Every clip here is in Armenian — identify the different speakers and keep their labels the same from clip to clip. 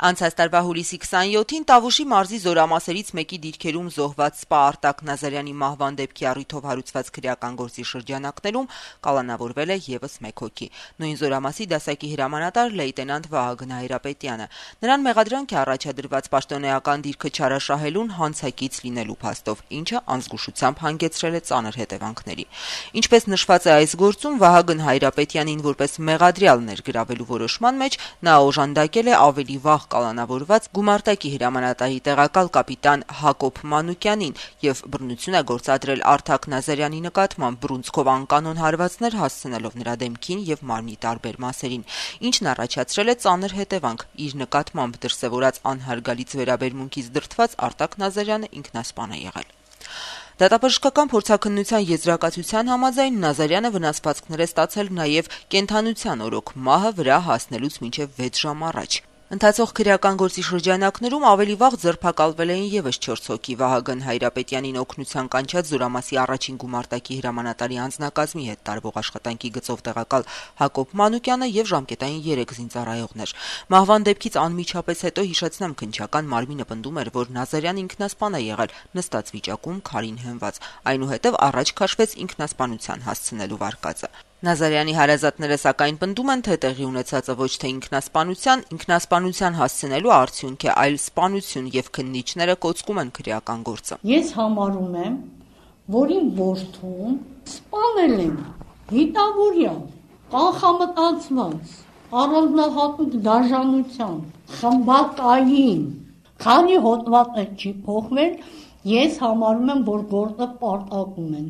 Speaker 1: Անցած տարվա հուլիսի 27-ին Տավուշի մարզի զորամասերից մեկի դիրքերում զոհված սպա Արտակ Նազարյանի մահվան դեպքի առիթով հարուցված քրեական գործի շրջանակներում կալանավորվել է եւս մեկ հոգի։ Նույն զորամասի դասակի հրամանատար լեյտենանտ Վահագն Հայրապետյանը։ Նրան մեղադրանք է առաջադրված պաշտոնեական դիրքը չարաշահելուն հանցակից լինելու փաստով, ինչը անզգուշությամբ հանգեցրել է ծանր հետևանքների։ Ինչպես նշված է այս գործում, Վահագն Հայրապետյանին որպես մեղադրյալ ներգրավելու որոշման մեջ նա օժանդակել է ավելի վաղ կալանավորված գումարտակի հրամանատարի տեղակալ կապիտան Հակոբ Մանուկյանին եւ բռնություն է գործադրել Արտակ Նազարյանի նկատմամբ բռունցքով անկանոն հարվածներ հասցնելով նրա դեմքին եւ մարմնի տարբեր մասերին, ինչն առաջացրել է ծանր հետևանք։ Իր նկատմամբ դրսեւորած անհարգալից վերաբերմունքից դրդված Արտակ Նազարյանը ինքնասպան է եղել։ Դատաբժշկական փորձաքննության եզրակացության համաձայն Նազարյանը վնասվածքներ է ստացել նաև կենդանության օրոք մահը վրա հասնելուց մինչև 6 ժամ առաջ։ Ընթացող քրեական գործի շրջանակներում ավելի վաղ ձերբակալվել էին եւս 4 հոգի Վահագն Հայրապետյանին օգնության կանչած զորամասի առաջին գումարտակի հրամանատարի անձնակազմի հետ տարվող աշխատանքի գծով տեղակալ Հակոբ Մանուկյանը եւ ժամկետային 3 զինծառայողներ։ Մահվան դեպքից անմիջապես հետո հիշեցնեմ քննչական մարմինը պնդում էր, որ Նազարյանը ինքնասպան է եղել նստած վիճակում քարին հենված, այնուհետև առաջ քաշվեց ինքնասպանության հասցնելու վարկածը։ Նազարյանի հարազատները սակայն պնդում են, թե տեղի ունեցածը ոչ թե ինքնասպանության հասցնելու արդյունք է, այլ սպանություն եւ քննիչները կոծկում են քրեական գործը։
Speaker 2: Ես համարում եմ, որ իմ որդուն սպանել են հիտավորյալ, կանխամտածված, առանձնահատուկ դաժանությամբ, խմբակային, քանի հոդվածը չի փոխվել, ես համարում եմ, որ գործը պարտակում են։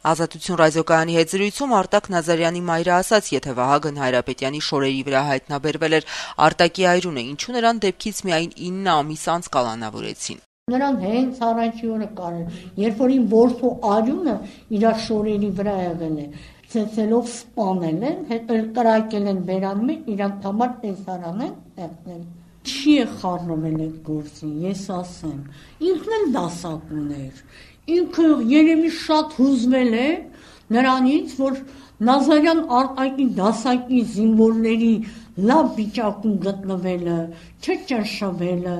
Speaker 1: Ազատություն ռադիոկայանի հետ զրույցում Արտակ Նազարյանի մայրը ասաց, եթե Վահագն Հայրապետյանի շորերի վրա հայտնաբերվել էր Արտակի այրունը, ինչու նրան դեպքից միայն 9 ամիս անց կալանավորեցին։
Speaker 2: Նրան հենց առաջի օրը կարել, երբ որ իմ որդու այրունը իր շորերի վրա եղել է, ցեցելով սպանել են, հետո կրակել են բերանում են, իրանք համար տեսարան են տեղնել։ Չի է խառնվել այդ գործին, ես ասեմ, ինքն էլ դասակ ուներ։ Ինքը երևի շատ հուզվել է նրանից, որ Նազարյան Արտակի դասակի զինվորների լավ վիճակում գտնվելը, չճնշվելը,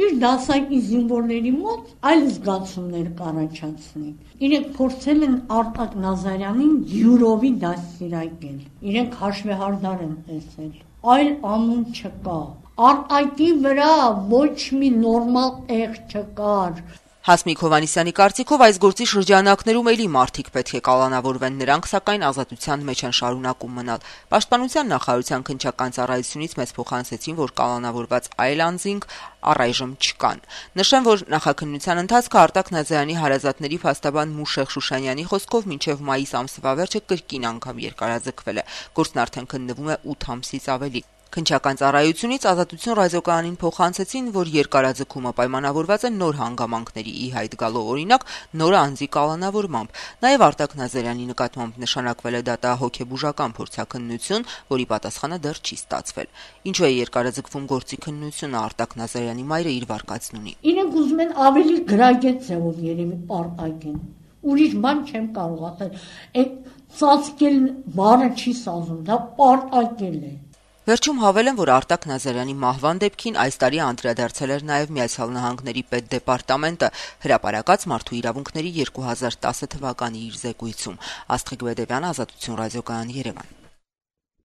Speaker 2: իր դասակի զինվորների մոտ այլ զգացումներ կառաջացնի։ Իրենք փորձել են Արտակ Նազարյանին յուրովի դաստիարակել։ Իրենք հաշվեհարդար են տեսել։ Այլ անուն չկա։ Արտակի վրա ոչ մի նորմալ տեղ չկար։
Speaker 1: Հասմիկ Հովհաննիսյանի կարծիքով այս գործի շրջանակներում էլի մարդիկ պետք է կալանավորվեն, նրանք սակայն ազատության մեջ են շարունակում մնալ։ Պաշտպանության նախարարության քննչական ծառայությունից մեզ փոխանցեցին, որ կալանավորված այլ անձինք առայժմ չկան։ Նշեմ, որ նախաքննության ընթացքը Արտակ Նազարյանի հարազատների փաստաբան Մուշեղ Շուշանյանի խոսքով մինչև մայիս ամսվա վերջը կրկին անգամ երկարաձգվել է։ Գործն արդեն քննվում է 8 ամսից ավելի։ Քննչական ծառայությունից Ազատություն ռադիոկայանին փոխանցեցին, որ երկարաձգումը պայմանավորված է նոր հանգամանքների ի հայտ գալով, օրինակ նոր անձի կալանավորմամբ։ Նաև Արտակ Նազարյանի նկատմամբ նշանակվել է դատահոգեբուժական փորձաքննություն, որի պատասխանը դեռ չի ստացվել։ Ինչու է երկարաձգվում գործի քննությունը, Արտակ Նազարյանի մայրը իր վարկածն ունի։
Speaker 2: Իրենք ուզում են ավելի գրագետ ձևով երևի պարտակեն։ Ուրիշ բան չեմ կարող ասել։ Այդ ծածկել բառը չի սազում, դա պարտակել է։
Speaker 1: Վերջում հավելեմ, որ Արտակ Նազարյանի մահվան դեպքին այս տարի անդրադարձել էր նաև Միացյալ Նահանգների պետդեպարտամենտը հրապարակած մարդու իրավունքների 2010 թվականի իր զեկույցում։ Աստղիկ Բեդևյան, Ազատություն ռադիոկայան, Երևան։